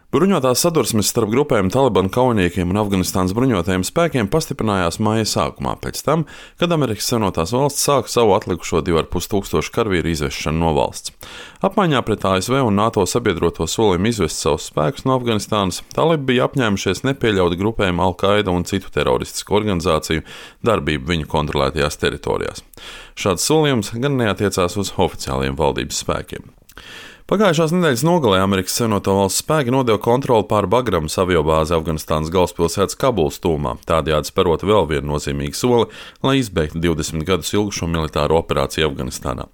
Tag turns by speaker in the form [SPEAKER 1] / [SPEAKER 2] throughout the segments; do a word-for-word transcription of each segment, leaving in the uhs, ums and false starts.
[SPEAKER 1] Bruņotās sadursmes starp grupējuma Talibanu kaujiniekiem un Afganistānas bruņotajiem spēkiem pastiprinājās māja sākumā, pēc tam, kad Amerikas Savienotās valstis sāka savu atlikušo divu ar pus tūkstošu karavīru izvešanu no valsts. Apmaiņā pret A S V un NATO sabiedroto solījumu izvest savus spēkus no Afganistānas, talibi bija apņēmušies nepieļaut grupējumu Al-Qaida un citu teroristisku organizāciju darbību viņu kontrolētajās teritorijās. Šāds solījums gan neatiecās uz oficiāliem valdības spēkiem. Pagājušās nedēļas nogalē Amerikas Savienoto Valstu spēki nodeva kontroli pār Bagramas aviobāzi Afganistānas galvaspilsētas Kabulas tūmā, tādējādi sperot vēl vienu nozīmīgu soli, lai izbeigtu divdesmit gadus ilgušo militāro operāciju Afganistānā.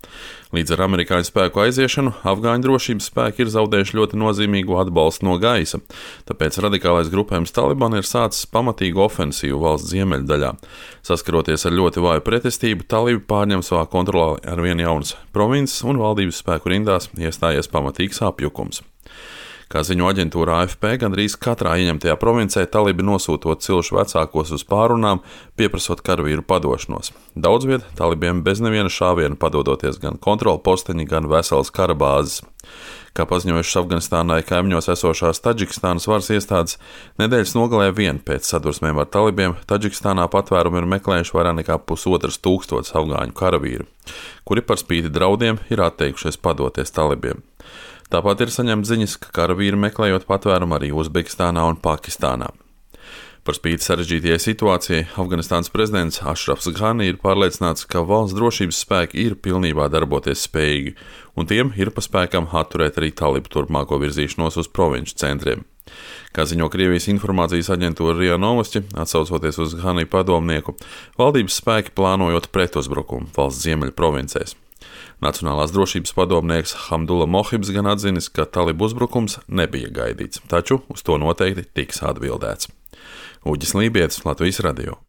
[SPEAKER 1] Līdz ar amerikāņu spēku aiziešanu afgāņu drošības spēki ir zaudējuši ļoti nozīmīgu atbalstu no gaisa, tāpēc radikālais grupējums Taliban ir sācis pamatīgu ofensīvu valsts ziemeļdaļā. Saskaroties ar ļoti vāju pretestību, talibi pārņem savā kontrolē ar vien jaunas provinces un valdības spēku rindās iestājies pamatīgs apjukums. Kā ziņo aģentūra A F P, gandrīz katrā ieņemtajā provincē talibi nosūtot cilšu vecākos uz pārunām, pieprasot karavīru padošanos. Daudz viet talibiem bez neviena šāviena padodoties gan kontrolu posteņi, gan veselas kara bāzes. Kā paziņojušas Afganistānai kaimiņos esošās Taģikistānas varas iestādes, nedēļas nogalē vien pēc sadursmēm ar talibiem Taģikistānā patvērumu ir meklējuši vairāk nekā pusotras tūkstotis afgāņu karavīru, kuri par spīti draudiem ir atteikušies padoties talibiem. Tāpat ir saņemts ziņas, ka karavīri meklējot patvērumu arī Uzbekistānā un Pakistānā. Par spīti sarežģītajai situācijai, Afganistānas prezidents Ašrafs Ghani ir pārliecināts, ka valsts drošības spēki ir pilnībā darboties spējīgi, un tiem ir pa spēkam atturēt arī talibu turpmāko virzīšanos uz provinču centriem. Kā ziņo Krievijas informācijas aģentūra RIA Novosti, atsaucoties uz Ghani padomnieku, valdības spēki plānojot pretuzbrukumu valsts ziemeļu provincēs. Nacionālās drošības padomnieks Hamdula Mohibs gan atzinis, ka talibu uzbrukums nebija gaidīts, taču uz to noteikti tiks atbildēts. Uģis Lībietis, Latvijas radio.